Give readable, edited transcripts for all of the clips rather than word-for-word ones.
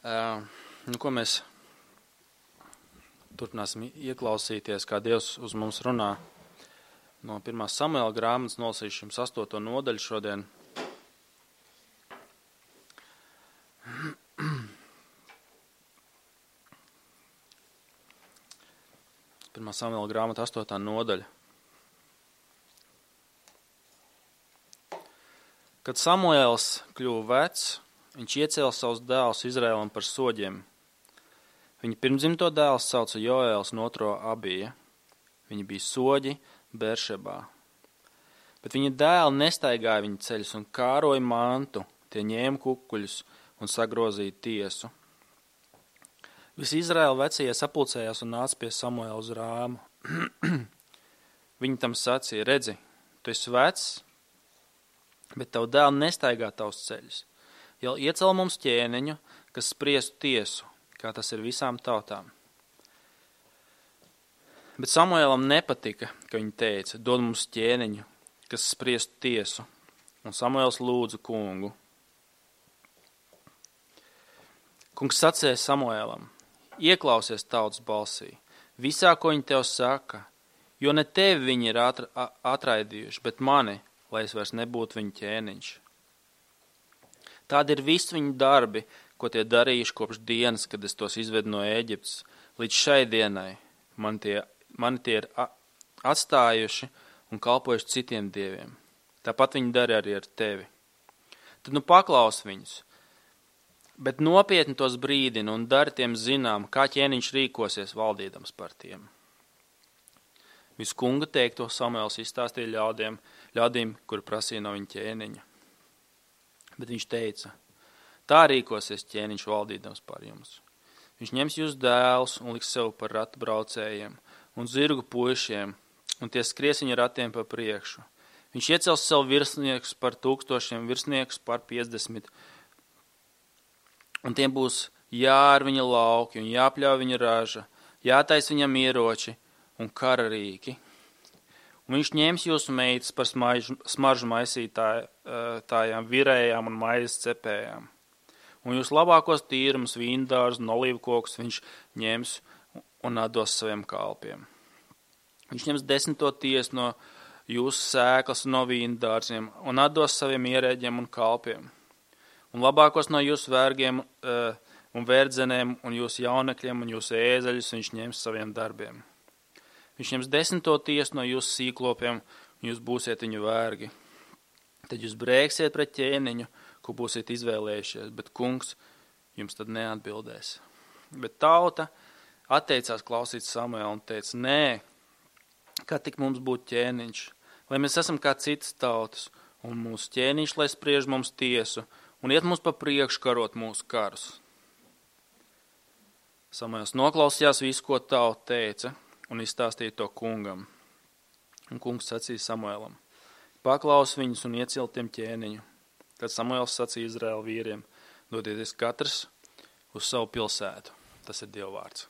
Ko mēs turpināsim ieklausīties, kā Dievs uz mums runā. No 1. Samuela grāmatas nolasīšu jums 8. nodaļu šodien. Pirmā Samuela grāmata 8. nodaļa. Kad Samuēls kļuva vecs, viņš iecēla savus dēlus Izraēlam par soģiem. Viņa pirmdzimto dēls sauca Joēls un otro Abija. Viņi bija soģi Beršebā. Bet viņa dēli nestaigāja viņa ceļus un kāroja mantu, tie ņēma kukuļus un sagrozīja tiesu. Visi Izraēla vecie sapulcējās un nāca pie Samuēla uz Rāmu. Viņi tam sacīja, redzi, tu esi vecs, bet tavu dēlu nestaigā tavus ceļus. Jau iecel mums ķēniņu, kas spriestu tiesu, kā tas ir visām tautām. Bet Samuēlam nepatika, ka viņi teica, dod mums ķēniņu, kas spriestu tiesu, un Samuēls lūdza kungu. Kungs sacīja Samuēlam, ieklausies tautas balsī, visā, ko viņi tev saka, jo ne tevi viņi ir atraidījuši, bet mani, lai es vairs nebūtu viņu ķēniņš. Tādi ir visi viņu darbi, ko tie darījuši kopš dienas, kad es tos izvedu no Ēģiptes, līdz šai dienai. Mani tie ir atstājuši un kalpojuši citiem dieviem. Tāpat viņi dara arī ar tevi. Tad paklaus viņus, bet nopietni tos brīdina un dari tiem zinām, kā ķēniņš rīkosies valdīdams par tiem. Visu kunga teikto Samuēls izstāstīja ļaudīm, kuri prasīja no viņa ķēniņa. Bet viņš teica, tā rīkosies ķēniņš valdīdams par jums. Viņš ņems jūs dēlus un liks sev par ratu braucējiem un zirgu puišiem, un tie skries viņa ratiem pa priekšu. Viņš iecels sev virsniekus par 1000, virsniekus par 50, un tiem būs jār viņa lauki un jāpļauj viņa raža, jātais viņam ieroči un kararīki. Un viņš ņems jūsu meitas par smaržu maisītājām, virējām un maizes cepējām. Un jūs labākos tīrumus, vīndārus un olīvkokus viņš ņems un atdos saviem kalpiem. Viņš ņems 10. tiesu no jūsu sēklas un no vīndārziem un atdos saviem ierēģiem un kalpiem. Un labākos no jūsu vergiem un verdzenēm un jūsu jaunekļiem un jūsu ēzeļus viņš ņems saviem darbiem. Viņš ņems 10. tiesu no jūsu sīklopiem, un jūs būsiet viņu vergi. Tad jūs brēksiet pret ķēniņu, ko būsiet izvēlējušies, bet kungs jums tad neatbildēs. Bet tauta atteicās klausīt Samuēlu un teica, nē, kā tik mums būtu ķēniņš, lai mēs esam kā citas tautas, un mūsu ķēniņš, lai spriež mums tiesu, un iet mums pa priekšu karot mūsu karus. Samuēls noklausījās visu, ko tauta teica, un izstāstīja to kungam. Un kungs sacīja Samuēlam, paklaus viņus un iecil tiem ķēniņu. Tad Samuēls sacīja Izraēla vīriem, dodieties katrs uz savu pilsētu. Tas ir Dieva vārds.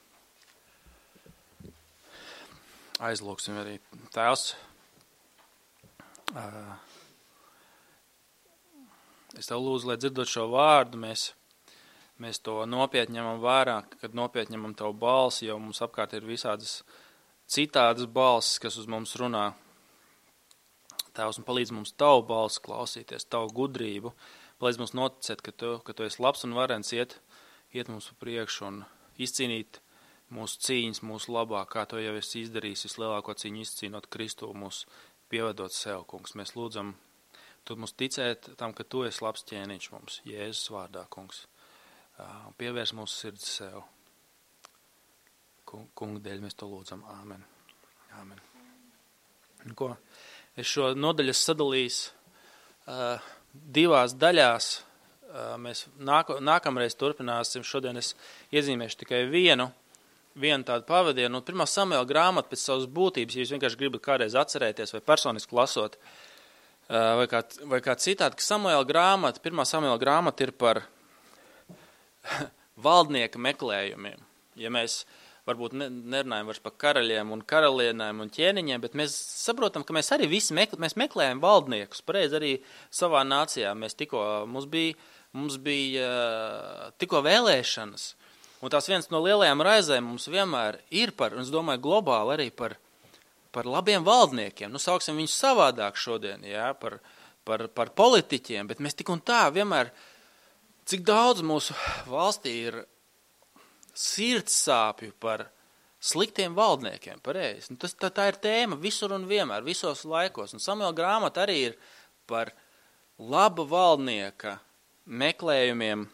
Aizlūksim arī Tēvs. Es tev lūdzu, lai dzirdot šo vārdu, mēs to nopietni ņemam vērā, kad nopietni ņemam tavu balsi, jo mums apkārt ir visādas citādas balsis, kas uz mums runā. Tēvs, un palīdz mums tavu balsi klausīties, tavu gudrību, palīdz mums noticēt, ka tu esi labs un varens iet mums pa priekšu un izcīnīt mūsu cīņas, mūsu labā, kā to jau esi izdarījis, vislielāko cīņu izcīnot Kristu, mūsu pievedot sev, kungs. Mēs lūdzam, tu mums ticēt tam, ka tu esi labs ķēniņš mums, Jēzus vārdā, kungs. Pievērs mūsu sirds sev. Kunga dēļ mēs to lūdzam. Āmen. Āmen. Es šo nodaļu sadalījis divās daļās. Mēs nākamreiz turpināsim. Šodien es iezīmēšu tikai vienu tādu pavadienu. 1. Samuela grāmata pēc savas būtības, ja jūs vienkārši gribat kādreiz atcerēties vai personiski lasot, vai kā citādi, ka 1. Samuela grāmata ir par valdnieka meklējumiem. Ja mēs varbūt nerunājam vairs par karaļiem un karalienēm un ķēniņiem, bet mēs saprotam, ka mēs arī visi mēs meklējam valdniekus. Pareizi arī savā nācijā. Mums bija tikko vēlēšanas. Un tās viens no lielajām raizēm mums vienmēr ir un es domāju, globāli arī par labiem valdniekiem. Sauksim viņus savādāk šodien, jā, par politiķiem, bet mēs tik un tā vienmēr, cik daudz mūsu valstī ir sirds sāpju par sliktiem valdniekiem, pareizi. Tā ir tēma visur un vienmēr, visos laikos. Un Samuela grāmata arī ir par laba valdnieka meklējumiem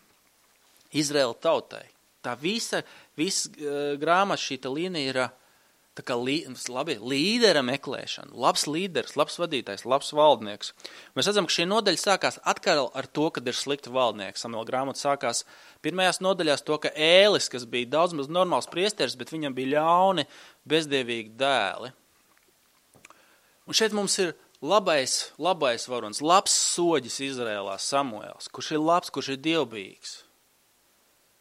Izraēla tautai. Tā visa grāmata šīta līnija ir tā kā līdera meklēšana, labs līderis, labs vadītājs, labs valdnieks. Mēs redzam, ka šī nodaļa sākās atkal ar to, kad ir slikti valdnieki. Samuela grāmata sākās pirmajās nodaļās to, ka Ēlis, kas bija daudz maz normāls priesteris, bet viņam bija ļauni, bezdievīgi dēli. Un šeit mums ir labais varonis, labs soģis Izrēlā Samuēls, kurš ir labs, kurš ir dievbijīgs.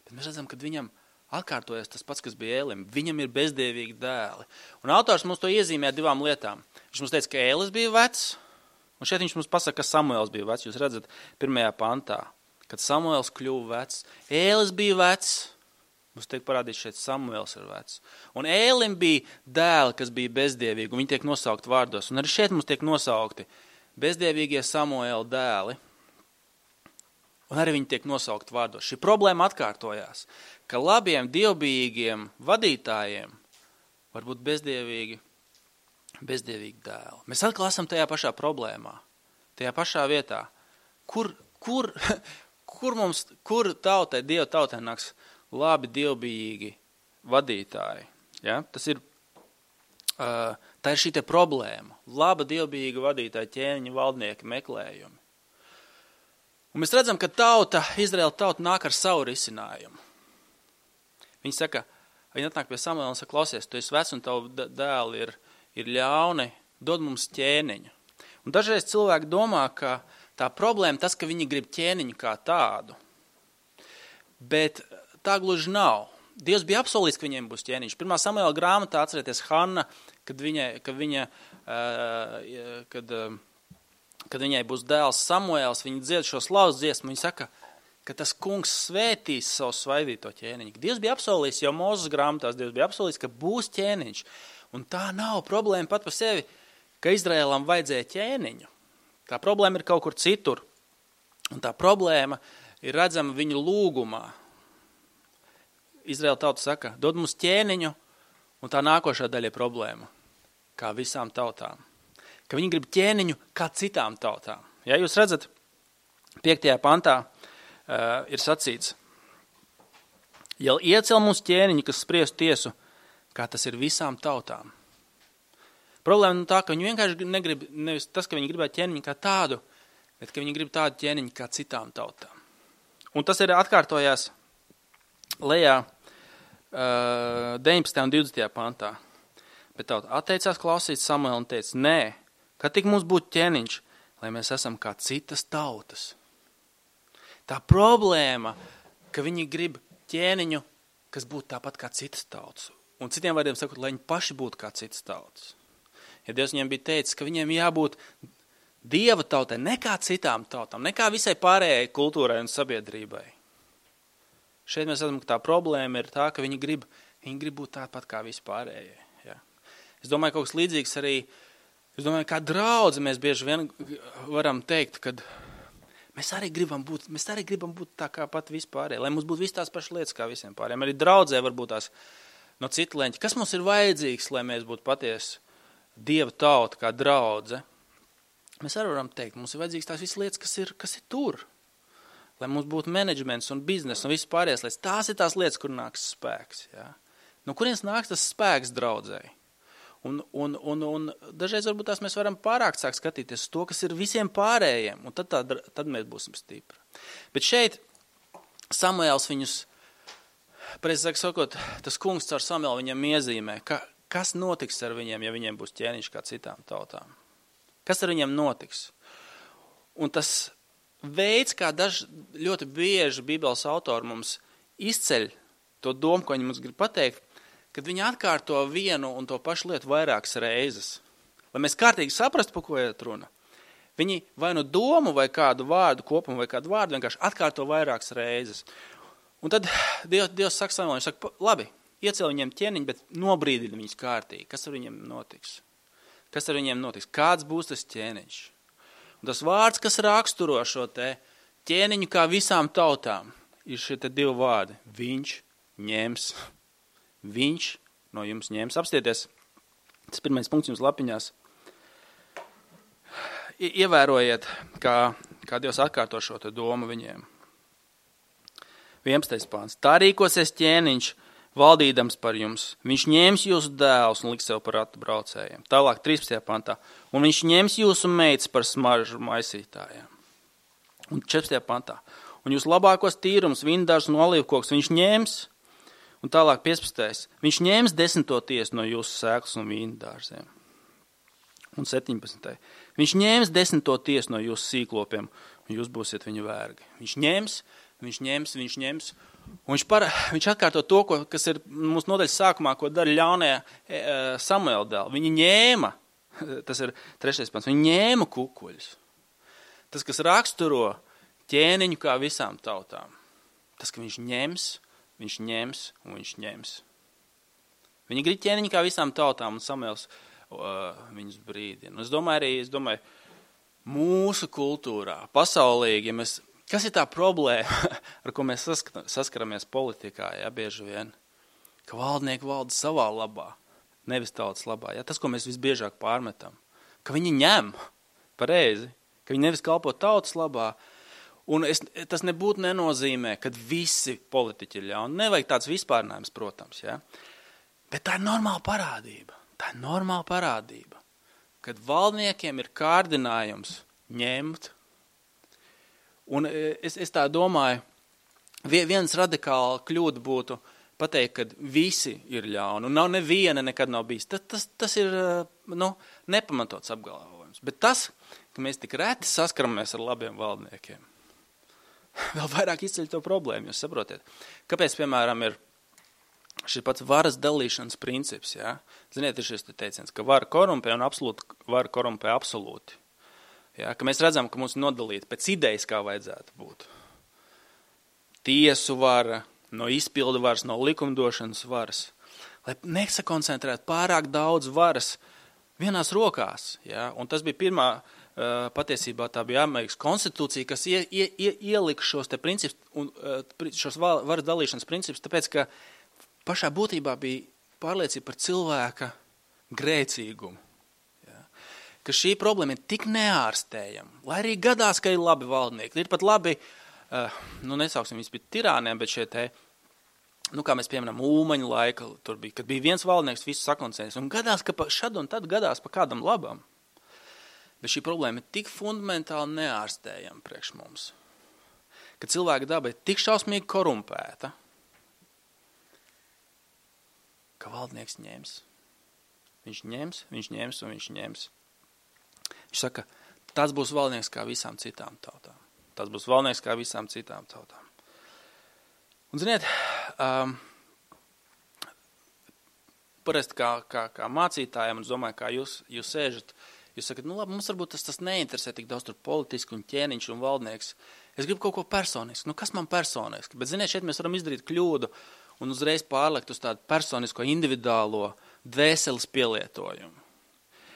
Bet mēs redzam, ka viņam atkārtojas tas pats, kas bija Ēlim. Viņam ir bezdievīgi dēli. Un autors mums to iezīmē 2 lietām. Viņš mums teica, ka Ēlis bija vecs, un šeit viņš mums pasaka, ka Samuēls bija vecs. Jūs redzat 1. pantā, kad Samuēls kļuva vecs. Ēlis bija vecs, mums tiek parādīts šeit Samuēls ir vecs. Un Ēlim bija dēli, kas bija bezdievīgi, un viņi tiek nosaukti vārdos. Un arī šeit mums tiek nosaukti bezdievīgie Samuēla dēli. Un arī viņi tiek nosaukti vārdos. Šī problēma atkārtojās, ka labiem, dievbijīgiem vadītājiem var būt bezdievīgi dēli. Mēs atkal esam tajā pašā problēmā, tajā pašā vietā. Kur tautai, Dieva tautai nāks labi, dievbijīgi vadītāji? Ja? Tā ir šī te problēma. Laba, dievbijīga vadītāja, ķēniņa, valdnieka meklējumi. Un mēs redzam, ka Izraēla tauta nāk ar savu risinājumu. Viņi atnāk pie Samuela un saka, klausies, tu esi vecs un tavu dēli ir ļauni, dod mums ķēniņu. Un dažreiz cilvēki domā, ka tā problēma tas, ka viņi grib ķēniņu kā tādu. Bet tā gluži nav. Dievs bija apsolījis, ka viņiem būs ķēniņš. 1. Samuela grāmatā atcerieties Hanna, kad viņai būs dēls Samuēls, viņa dzied šo slavas dziesmu, viņa saka, ka tas kungs svētīs savu svaidīto ķēniņu. Dievs bija apsolījis jau Mūzes grāmatās, Dievs bija apsolījis, ka būs ķēniņš. Un tā nav problēma pat par sevi, ka Izraēlam vajadzēja ķēniņu. Tā problēma ir kaut kur citur. Un tā problēma ir redzama viņu lūgumā. Izraēla tauta saka, dod mums ķēniņu, un tā nākošā daļa ir problēma, kā visām tautām. Ka viņi grib ķēniņu kā citām tautām. Ja jūs redzat, 5. pantā ir sacīts, ja iecel mums ķēniņu, kas spries tiesu, kā tas ir visām tautām. Problēma tā, ka viņi vienkārši negrib, nevis tas, ka viņi gribētu ķēniņu kā tādu, bet ka viņi grib tādu ķēniņu kā citām tautām. Un tas ir atkārtojās lejā 19. un 20. pantā. Bet tauta atteicās klausīt Samuelu un teica, nē, kad tik mums būtu ķēniņš, lai mēs esam kā citas tautas. Tā problēma, ka viņi grib ķēniņu, kas būtu tāpat kā citas tautas. Un citiem vārdiem sakot, lai viņi paši būtu kā citas tautas. Ja Dievs viņiem bija teicis, ka viņiem jābūt Dieva tautai, ne kā citām tautām, ne kā visai pārējai kultūrai un sabiedrībai. Šeit mēs redzam, ka tā problēma ir tā, ka viņi grib būt tāpat kā vispārējai. Ja. Es domāju, kaut kas līdzīgs arī, kā draudzi mēs bieži vien varam teikt, kad mēs arī gribam būt tā kā pat vispārējai, lai mums būtu viss tās pašas lietas kā visiem pārējiem. Arī draudzē varbūt tās no citu leņķi. Kas mums ir vajadzīgs, lai mēs būtu patiesi Dieva tauta kā draudze? Mēs arī varam teikt, mums ir vajadzīgs tās visas lietas, kas ir tur. Lai mums būtu menedžments un biznes un viss pārējais lietas. Tās ir tās lietas, kur nāks spēks. Ja? No kurienes nāks tas spēks draudzēji? Un dažreiz varbūt tās mēs varam pārāk sāk skatīties to, kas ir visiem pārējiem, un tad mēs būsim stipri. Bet šeit Samuēls viņus, precīzāk sakot, tas kungs caur Samuelu viņam iezīmē, kas notiks ar viņiem, ja viņiem būs ķēniņš kā citām tautām. Kas ar viņiem notiks? Un tas veids, kā ļoti bieži Bībeles autori mums izceļ to domu, ko viņi mums grib pateikt, kad viņi atkārto vienu un to pašu lietu vairākas reizes. Lai mēs kārtīgi saprastu, par ko iet runa. Viņi vai nu domu vai kādu vārdu kopumu vai kādu vārdu vienkārši atkārto vairākas reizes. Un tad Dievs saka Samuēlam, viņš saka, labi, iecēl viņiem ķēniņu, bet nobrīdini viņus kārtīgi. Kas ar viņiem notiks? Kas ar viņiem notiks? Kāds būs tas ķēniņš? Un tas vārds, kas raksturo šo te ķēniņu kā visām tautām, ir šie te divi vārdi. Viņš ņems. Viņš no jums ņems. Apstieties. Tas pirmais punkts jums lapiņās. Ievērojiet, kā Dievs atkārto šo te domu viņiem. 11. pāns. Tā rīkosies ķēniņš, valdīdams par jums. Viņš ņems jūsu dēlus un liks sev par ratu braucējiem. Tālāk 13. pantā. Un viņš ņems jūsu meitas par smaržu maisītājiem. Un 14. pantā. Un jūs labākos tīrums, vindārs un olīvkoks viņš ņems. Un tālāk 15. Viņš ņems 10. tiesu no jūsu sēklas un vīndārziem. Un 17. Viņš ņems 10. tiesu no jūsu sīklopiem, un jūs būsiet viņa vergi. Viņš ņems. Un viņš atkārto to, kas ir mūsu nodaļas sākumā, ko dara ļaunie Samuēla dēli. Viņi ņēma, tas ir 3. pants, viņi ņēma kukuļus. Tas, kas raksturo ķēniņu kā visām tautām. Tas, ka viņš ņems un viņš ņems. Viņi grib ķēniņu kā visām tautām, un Samuēls viņus brīdina. Es domāju, mūsu kultūrā, pasaulīgi, kas ir tā problēma, ar ko mēs saskaramies politikā, bieži vien, ka valdnieki valda savā labā, nevis tautas labā. Tas, ko mēs visbiežāk pārmetam, ka viņi ņem pareizi, ka viņi nevis kalpo tautas labā, un tas nebūtu nenozīmē, kad visi politiķi ir ļauni. Nevajag tāds vispārnājums, protams, bet tā ir normāla parādība. Tā ir normāla parādība, kad valdniekiem ir kārdinājums ņemt. Un es tā domāju, viens radikāla kļūda būtu pateikt, ka visi ir ļauni, un neviena nekad nav bijis. Tas ir nepamatots apgalvojums. Bet tas, ka mēs tik reti saskaramies ar labiem valdniekiem, vēl vairāk izceļ to problēmu, jūs saprotiet. Kāpēc, piemēram, ir šis pats varas dalīšanas princips, Ziniet, ir šis teiciens, ka vara korumpē un vara korumpē absolūti. Ka mēs redzam, ka mums nodalīt pēc idejas, kā vajadzētu būt. Tiesu vara, no izpildu varas, no likumdošanas varas. Lai nesakoncentrētu pārāk daudz varas vienās rokās. Un tas bija pirmā, patiesībā tā bija Amerikas konstitūcija, kas ielika šos te principus, un šos varas dalīšanas principus, tāpēc, ka pašā būtībā bija pārliecība par cilvēka grēcīgumu. Ka šī problēma ir tik neārstējama, lai arī gadās, ka ir labi valdnieki. Ir pat labi, nesauksim viņus pie tirāniem, bet šie te, kā mēs pieminam, Ulmaņa laika, tur bija, kad bija viens valdnieks, visu sakoncentrēs, un gadās, ka šad un tad gadās pa kādam labam. Bet šī problēma ir tik fundamentāli neārstējama priekš mums, ka cilvēka daba ir tik šausmīgi korumpēta, ka valdnieks ņems. Viņš ņems un viņš ņems. Viņš saka, tas būs valdnieks kā visām citām tautām. Un ziniet, parasti kā mācītājiem, un es domāju, kā jūs sēžat, jūs sakat, labi, mums varbūt tas neinteresē tik daudz tur politiski un ķēniņš un valdnieks. Es gribu kaut ko personisku. Kas man personiski? Bet ziniet, šeit mēs varam izdarīt kļūdu un uzreiz pārlekt uz tādu personisko, individuālo dvēseles pielietojumu.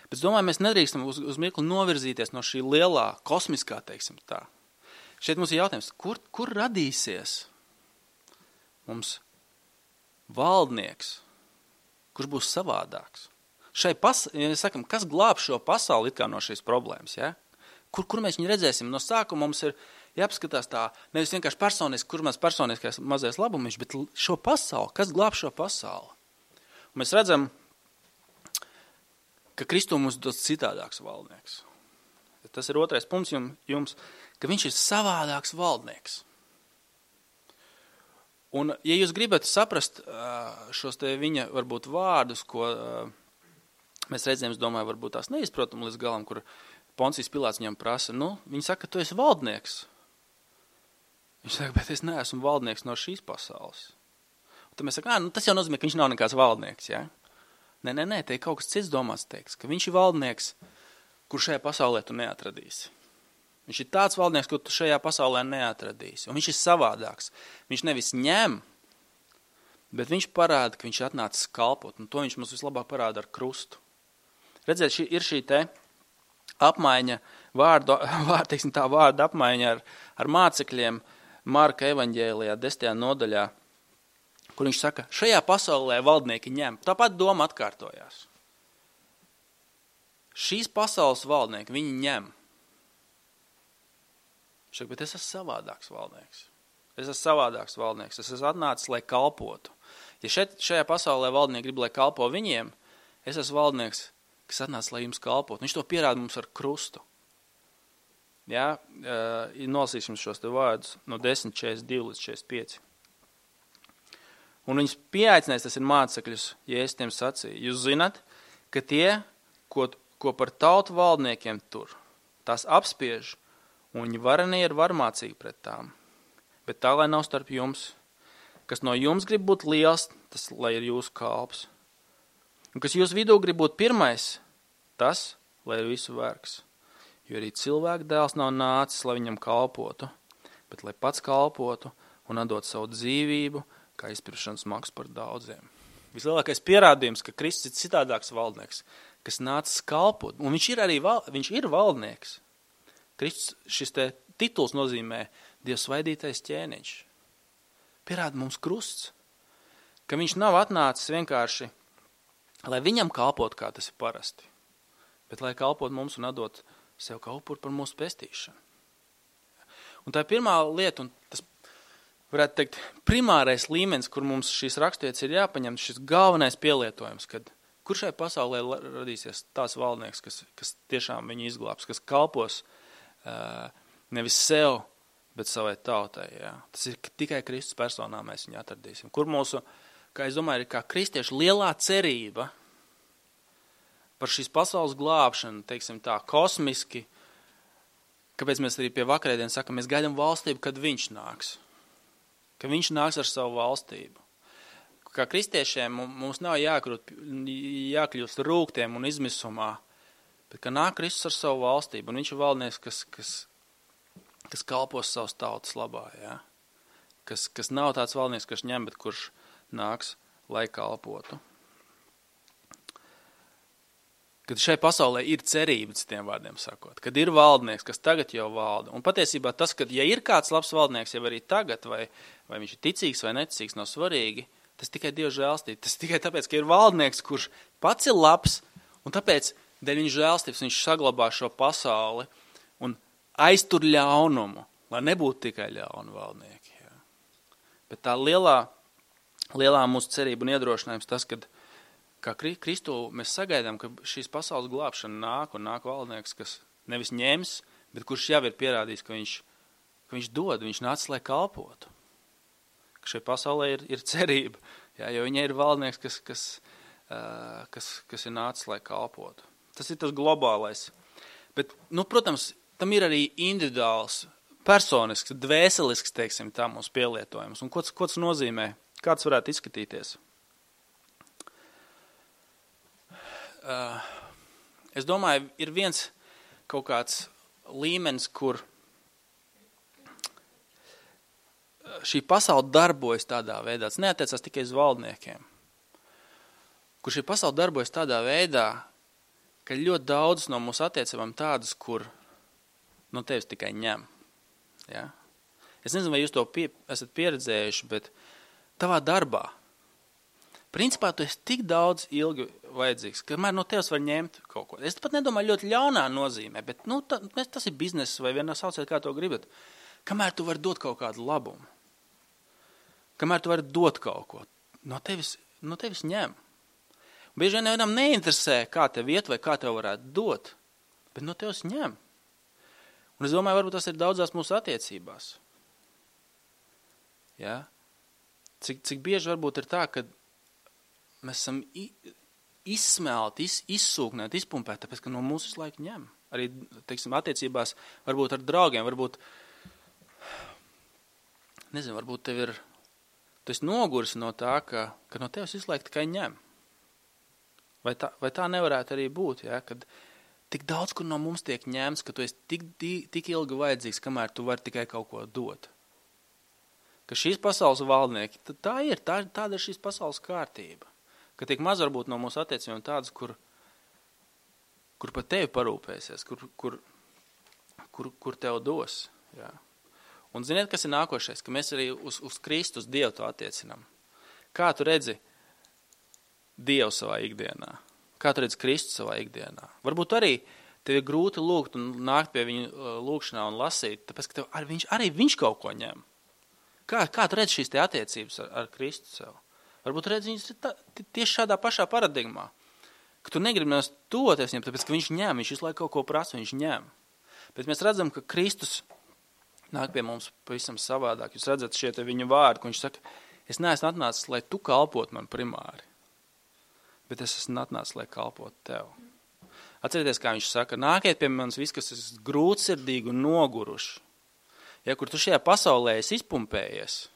Bet es domāju, mēs nedrīkstam uz mirkli novirzīties no šī lielā, kosmiskā, teiksim tā. Šeit mums ir jautājums, kur radīsies mums valdnieks, kurš būs savādāks? Sakam, kas glāb šo pasauli it kā no šīs problēmas, Kur mēs viņu redzēsim? No sākuma mums ir jāpaskatās tā, nevis vienkārši personiski, kur mēs personiskais mazais labumiņš, bet šo pasauli, kas glāb šo pasauli? Un mēs redzam, ka Kristu mums dos citādāks valdnieks. Tas ir otrais punkts jums, ka viņš ir savādāks valdnieks. Un, ja jūs gribat saprast šos te viņa varbūt vārdus, ko mēs redzējām, es domāju, varbūt tās neizprotam līdz galam, kur Poncijas Pilāts viņam prasa, viņi saka, tu esi valdnieks. Viņš saka, bet es neesmu valdnieks no šīs pasaules. Tad mēs sakām, tas jau nozīmē, ka viņš nav nekāds valdnieks, ja? Nē, te ir kaut kas cits domāts teiks, ka viņš ir valdnieks, kur šajā pasaulē tu neatradīsi. Viņš ir tāds valdnieks, kur tu šajā pasaulē neatradīsi. Un viņš ir savādāks. Viņš nevis ņem, bet viņš parāda, ka viņš atnācis kalpot. Un to viņš mums vislabāk parāda ar krustu. Redziet, ir šī te apmaiņa, vārda apmaiņa ar mācekļiem Marka evaņģēlijā 10. nodaļā, kur viņš saka, šajā pasaulē valdnieki ņem. Tāpat doma atkārtojās. Šīs pasaules valdnieki, viņi ņem. Viņš saka, bet es esmu savādāks valdnieks. Es esmu atnācis, lai kalpotu. Ja šajā pasaulē valdnieki grib, lai kalpo viņiem, es esmu valdnieks, kas atnācis, lai jums kalpotu. Viņš to pierāda mums ar krustu. Jā, nolasīsim šos te vārdus no 10:42 līdz 45. Un viņus pieaicinājis, tas ir mācekļus, ja es tiem sacīju. Jūs zināt, ka tie, ko par tautu valdniekiem tur, tās apspiež, un viņi varenie ir varmācīgi pret tām. Bet tā, lai nav starp jums, kas no jums grib būt liels, tas, lai ir jūsu kalps. Un kas jūsu vidū grib būt pirmais, tas, lai ir visu vergs. Jo arī cilvēka dēls nav nācis, lai viņam kalpotu, bet lai pats kalpotu un atdot savu dzīvību, kā izpirkšanas maksu par daudziem. Vislielākais pierādījums, ka Kristus ir citādāks valdnieks, kas nācis kalpot, un viņš ir valdnieks. Kristus, šis te tituls nozīmē Dievs svaidītais ķēniņš. Pierāda mums krusts, ka viņš nav atnācis vienkārši, lai viņam kalpot, kā tas ir parasti, bet lai kalpot mums un atdot sev kā upuru par mūsu pestīšanu. Un tā ir pirmā lieta, un tas, varētu teikt, primārais līmenis, kur mums šīs raksturietas ir jāpaņem, šis galvenais pielietojums, kad kur šai pasaulē radīsies tās valdnieks, kas tiešām viņu izglābs, kas kalpos nevis sev, bet savai tautai. Jā. Tas ir tikai Kristus personā mēs viņu atradīsim. Kur mūsu, kā es domāju, ir kā kristiešu lielā cerība par šīs pasaules glābšanu, teiksim tā, kosmiski, kāpēc mēs arī pie vakarēdienas sakam, mēs gaidām valstību, kad viņš nāks. Ka viņš nāks ar savu valstību. Kā kristiešiem mums nav jākļūst rūgtiem un izmisumā, bet ka nāk Kristus ar savu valstību, un viņš ir valdnieks, kas kalpos savas tautas labā, ja? Kas nav tāds valdnieks, kas ņem, bet kurš nāks, lai kalpotu. Kad šai pasaulē ir cerība, citiem vārdiem sakot, kad ir valdnieks, kas tagad jau valda. Un patiesībā tas, kad ja ir kāds labs valdnieks jau arī tagad, vai viņš ir ticīgs vai neticīgs, nav svarīgi, tas tikai Dieva žēlstība. Tas tikai tāpēc, ka ir valdnieks, kurš pats ir labs, un tāpēc dēļ viņa žēlstības viņš saglabā šo pasauli un aiztur ļaunumu, lai nebūtu tikai ļauni valdnieki. Jā. Bet tā lielā mūsu cerība un iedrošinājums tas, kad kā Kristu mēs sagaidām, ka šīs pasaules glābšana nāk valdnieks, kas nevis ņems, bet kurš jau ir pierādījis, ka viņš dod, viņš nācis, lai kalpotu. Ka šai pasaulē ir cerība, jā, jo viņai ir valdnieks, kas ir nācis, lai kalpotu. Tas ir tas globālais. Bet, protams, tam ir arī individuāls, personisks, dvēselisks, teiksim, tā mūsu pielietojums. Un ko tas nozīmē? Kāds varētu izskatīties? Es domāju, ir viens kaut kāds līmenis, kur šī pasaule darbojas tādā veidā. Tas neatiecās tikai uz valdniekiem. Kur šī pasaule darbojas tādā veidā, ka ļoti daudz no mūsu attiecībām tādas, kur no tevis tikai ņem. Ja? Es nezinu, vai jūs to esat pieredzējuši, bet tavā darbā, principā tu esi tik daudz ilgi vajadzīgs, kamēr no tevis var ņemt kaut ko. Es pat nedomāju ļoti ļaunā nozīmē, bet tas ir bizness vai vienā sauciet, kā to gribat. Kamēr tu vari dot kaut kādu labumu, kamēr tu vari dot kaut ko, no tevis ņem. Bieži vien nevienam neinteresē, kā tev iet vai kā tev varētu dot, bet no tevis ņem. Un es domāju, varbūt tas ir daudzās mūsu attiecībās. Ja? Cik bieži varbūt ir tā, ka mēs esam izsmelti, izsūknēti, izpumpēti, tāpēc, ka no mūsu visu laiku ņem. Arī, teiksim, attiecībās varbūt ar draugiem, varbūt tev ir Tu esi noguris no tā, ka no tevis visu laiku tikai ņem. Vai tā nevarētu arī būt, ja? Kad tik daudz, kur no mums tiek ņemts, ka tu esi tik ilgi vajadzīgs, kamēr tu vari tikai kaut ko dot. Ka šīs pasaules valdnieki, tāda ir šīs pasaules kārtība. Ka tik maz varbūt no mūsu attiecībiem tādas, kur par tevi parūpēsies, kur tev dos. Ja? Un ziniet, kas ir nākošais, ka mēs arī uz Kristus Dievu to attiecinām. Kā tu redzi Dievu savā ikdienā? Kā tu redzi Kristu savā ikdienā? Varbūt arī tev ir grūti lūgt un nākt pie viņa lūgšanā un lasīt, tāpēc, ka arī viņš kaut ko ņem. Kā tu redzi šīs te attiecības ar Kristu sev? Varbūt redzi viņas tieši šādā pašā paradigmā, ka tu negribi mēs tuvoties viņam, tāpēc, ka viņš ņem, viņš visu laiku kaut ko prasa, viņš ņem. Bet mēs redzam, ka Kristus nāk pie mums pavisam savādāk. Jūs redzat šie te viņa vārdi, ko viņš saka, es neesmu atnācis, lai tu kalpot man primāri, bet es esmu atnācis, lai kalpot tev. Atcerieties, kā viņš saka, nākiet pie manis viss, kas esat grūtsirdīgi un noguruši. Ja, kur tu šajā pasaulē esi izpumpējies,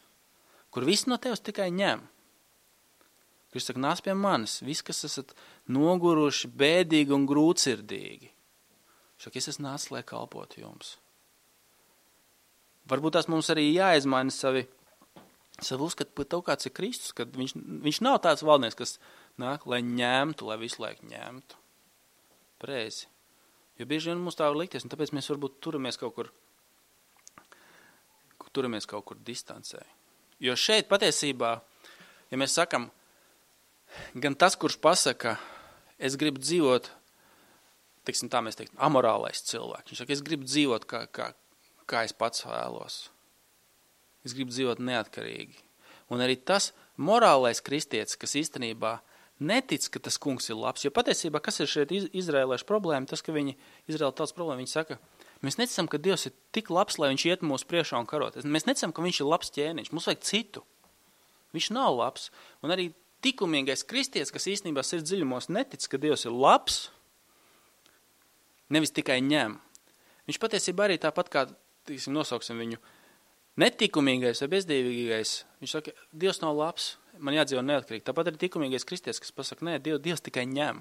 kur viss no tevis tikai ņem. Kristus saka, nāc pie manis, viss, kas esat noguruši, bēdīgi un grūtsirdīgi. Saka, es esmu nācis, lai kalpotu jums. Varbūt tās mums arī jāizmaina savu uzskatu par to, kāds ir Kristus, kad viņš nav tāds valdnieks, kas nāk, lai ņemtu, lai visu laiku ņemtu. Pareizi. Jo bieži vien mums tā var likties, un tāpēc mēs varbūt turamies kaut kur distancē. Jo šeit patiesībā, ja mēs sakam, gan tas, kurš pasaka, es gribu dzīvot, teiksim tā mēs teiktu, amorālais cilvēks. Viņš saka, es gribu dzīvot, kā es pats vēlos. Es gribu dzīvot neatkarīgi. Un arī tas morālais kristietis, kas īstenībā netic, ka tas kungs ir labs, jo patiesībā, kas ir šeit izrēliešu problēma, tas, ka Izraēla tautas problēma, viņi saka, mēs neticam, ka Dievs ir tik labs, lai viņš iet mūsu priekšā un karot. Mēs neticam, ka viņš ir labs ķēniņš, mums vajag citu. Viņš nav labs. Un arī tikumīgais kristietis, kas īstenībā sirds dziļumos netic, ka Dievs ir labs, nevis tikai ņem. Viņš patiesībā arī tāpat kā, nosauksim viņu, netikumīgais vai bezdīvīgais, viņš saka, Dievs nav labs, man jādzīvo neatkarīgi. Tāpat arī tikumīgais kristietis, kas pasaka, nē, Dievs tikai ņem.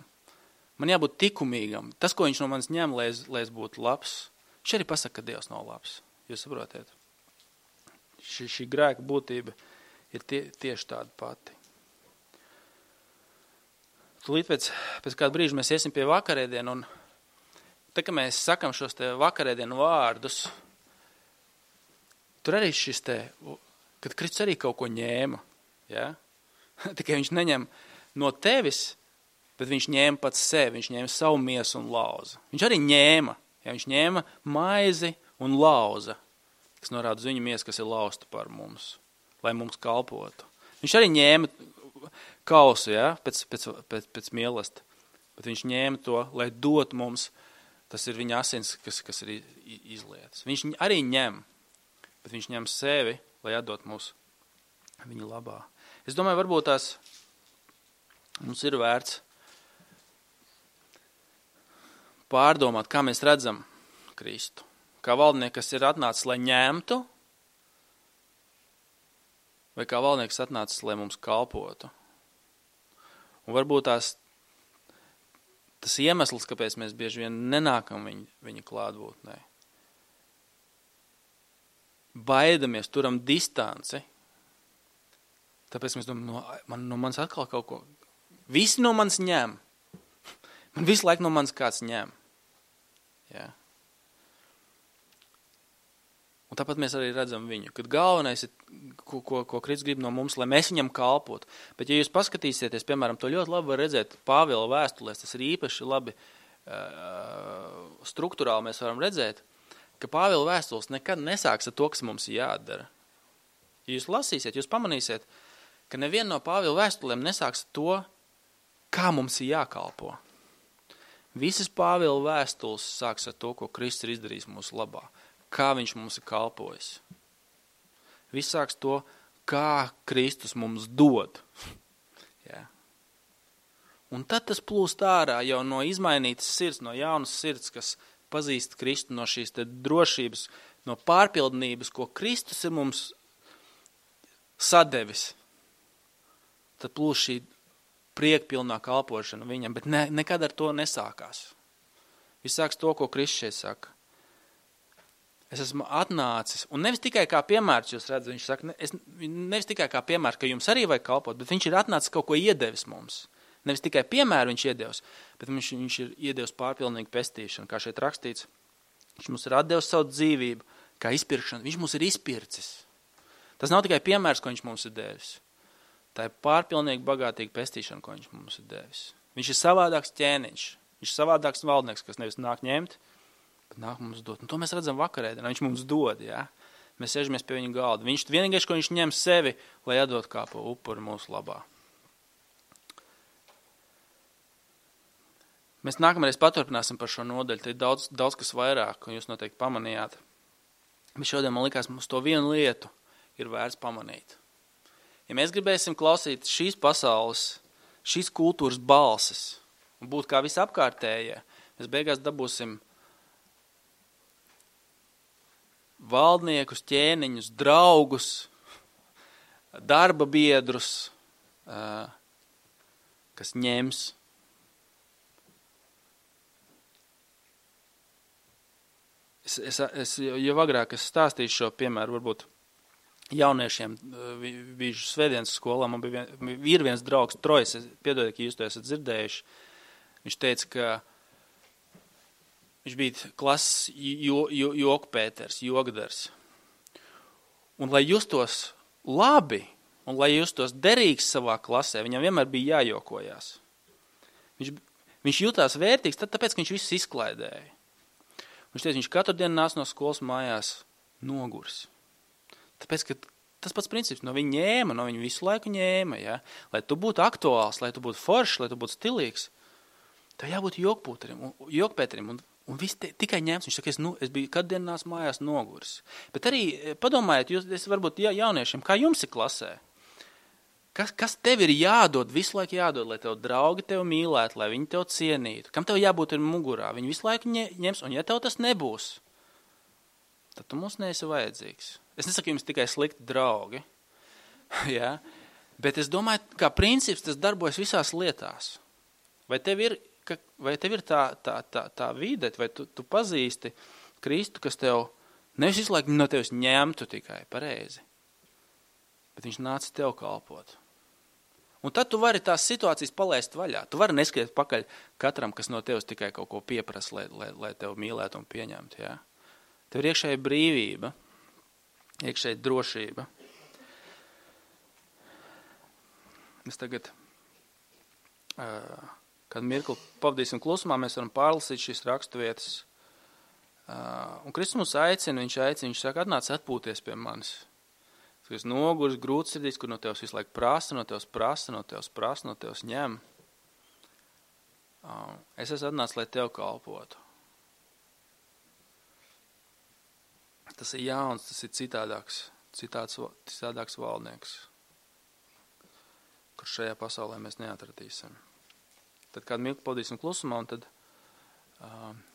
Man jābūt tikumīgam. Tas, ko viņš no manis ņem, lai es būtu labs, viņš arī pasaka, ka Dievs nav labs. Jūs saprotiet? Šī grēka būtība ir tieši tāda pati. Tūlīt pēc kāda brīža mēs iesim pie vakarēdienu, un tā, ka mēs sakam šos te vakarēdienu vārdus, tur arī šis te, kad Kristus arī kaut ko ņēma, ja? Tikai viņš neņem no tevis, bet viņš ņēma pats sevi, viņš ņēma savu miesu un lauza. Viņš arī ņēma, ja? Viņš ņēma maizi un lauza, kas norāda uz viņa miesu, kas ir lausta par mums, lai mums kalpotu. Viņš arī ņēma kausu, ja? pēc mīlesta, bet viņš ņēma to, lai dot mums, tas ir viņa asins, kas ir izlietas. Viņš arī ņem, bet viņš ņem sevi, lai atdot mūs viņa labā. Es domāju, varbūt tās mums ir vērts pārdomāt, kā mēs redzam Kristu. Kā valdnieki, kas ir atnācis, lai ņemtu, vai kā valdnieks atnācis, lai mums kalpotu. Un varbūt tas iemesls, kāpēc mēs bieži vien nenākam viņa klātbūtnē. Baidamies, turam distanci. Tāpēc mēs domājam, no manis atkal kaut ko. Visi no manis ņem. Man visu laiku no manis kāds ņem. Ja? Un tāpat mēs arī redzam viņu, kad galvenais ir, ko Kristus grib no mums, lai mēs viņam kalpotu. Bet ja jūs paskatīsieties, piemēram, to ļoti labi var redzēt Pāvila vēstulēs, tas ir īpaši labi strukturāli mēs varam redzēt, ka Pāvila vēstules nekad nesāks ar to, kas mums ir jādara. Ja jūs lasīsiet, jūs pamanīsiet, ka neviena no Pāvila vēstulēm nesāks ar to, kā mums ir jākalpo. Visas Pāvila vēstules sāks ar to, ko Kristus ir izdarījis mūsu labā. Kā viņš mums ir kalpojis. Viss sāks to, kā Kristus mums dod. Ja. Un tad tas plūst ārā jau no izmainītas sirds, no jaunas sirds, kas pazīst Kristu, no šīs te drošības, no pārpildnības, ko Kristus ir mums sadevis. tad plūs šī priekpilnā kalpošana viņam, bet nekad ar to nesākās. Viss sāks to, ko Kristus šeit saka. Es esmu atnācis, un nevis tikai kā piemērs, jūs redzat, viņš saka, nevis tikai kā piemērs, ka jums arī vajag kalpot, bet viņš ir atnācis kaut ko iedevis mums. Nevis tikai piemēru viņš iedevis, bet viņš ir iedevis pārpilnīgu pestīšanu, kā šeit rakstīts. Viņš mums ir atdevis savu dzīvību, kā izpirkšanu, viņš mums ir izpircis. Tas nav tikai piemērs, ko viņš mums ir devis. Tā ir pārpilnīgi bagātīga pestīšana, ko viņš mums ir devis. Viņš ir savādāks ķēniņš, viņš ir savādāks valdnieks, kas nevis nāk ņemt, bet nāk mums dot. Un to mēs redzam vakarēdienā, viņš mums dod, jā. Mēs sēžamies pie viņa galda. Viņš vienīgais, ko viņš ņem sevi, lai atdot kā pa upuri mūsu labā. Mēs nākamreiz paturpināsim par šo nodaļu. Te ir daudz kas vairāk, un jūs noteikti pamanījāt. Bet šodien man likās, mums to vienu lietu ir vērts pamanīt. Ja mēs gribēsim klausīt šīs pasaules, šīs kultūras balsis un būt kā visapkārtējie, mēs beigās dabūsim valdniekus, ķēniņus, draugus, darba biedrus, kas ņems. Es jau agrāk stāstīju šo piemēru, varbūt jauniešiem biju svētdienas skolā, man ir viens draugs, Trojs, piedodiet, ka jūs to esat dzirdējuši. Viņš teica, ka viņš bija klases jokpēters, jogdars. Un lai justos labi, un lai justos derīgs savā klasē, viņam vienmēr bija jājokojās. Viņš jutās vērtīgs, tāpēc, ka viņš visus izklaidēja. Viņš teica, viņš katru dienu nāc no skolas mājās nogurs. Tāpēc, ka tas pats princips, no viņa visu laiku ņēma, ja? Lai tu būtu aktuāls, lai tu būtu foršs, lai tu būtu stilīgs, tev jābūt jokpēterim, un viss tikai ņēms. Viņš saka, es biju katru dienu nāc mājās nogurs. Bet arī padomājiet, jūs varbūt jauniešiem, kā jums ir klasē? Kas tev ir jādod, visu laiku jādod, lai tev draugi tev mīlētu, lai viņi tev cienītu? Kam tev jābūt ir mugurā? Viņi visu laiku ņems, un ja tev tas nebūs, tad tu mums neesi vajadzīgs. Es nesaku jums tikai slikti draugi, ja? Bet es domāju, kā princips tas darbojas visās lietās. Vai tev ir tā vide, vai tu pazīsti Kristu, kas tev nevis visu laiku no tevis ņemtu tikai pareizi, bet viņš nāca tev kalpot. Un tad tu vari tās situācijas palaist vaļā. Tu vari neskiet pakaļ katram, kas no tevis tikai kaut ko pieprasa, lai tev mīlētu un pieņemtu. Ja? Tev ir iekšēja brīvība, iekšēja drošība. Mēs tagad, kad mirkli pavadīsim klusumā, mēs varam pārlasīt šīs raksturvietas. Un Kristus mūs aicina, viņš saka, atnāc atpūties pie manis. Tas nogurs, grūtsirdīs, kur no tevs visu laiku prasa, no tevs ņem. Es esmu atnācis, lai tev kalpotu. Tas ir jauns, tas ir citādāks valdnieks, kur šajā pasaulē mēs neatradīsim. Tad kādu mirkli pavadīsim klusumā, un tad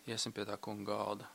iesim pie tā kunga galda.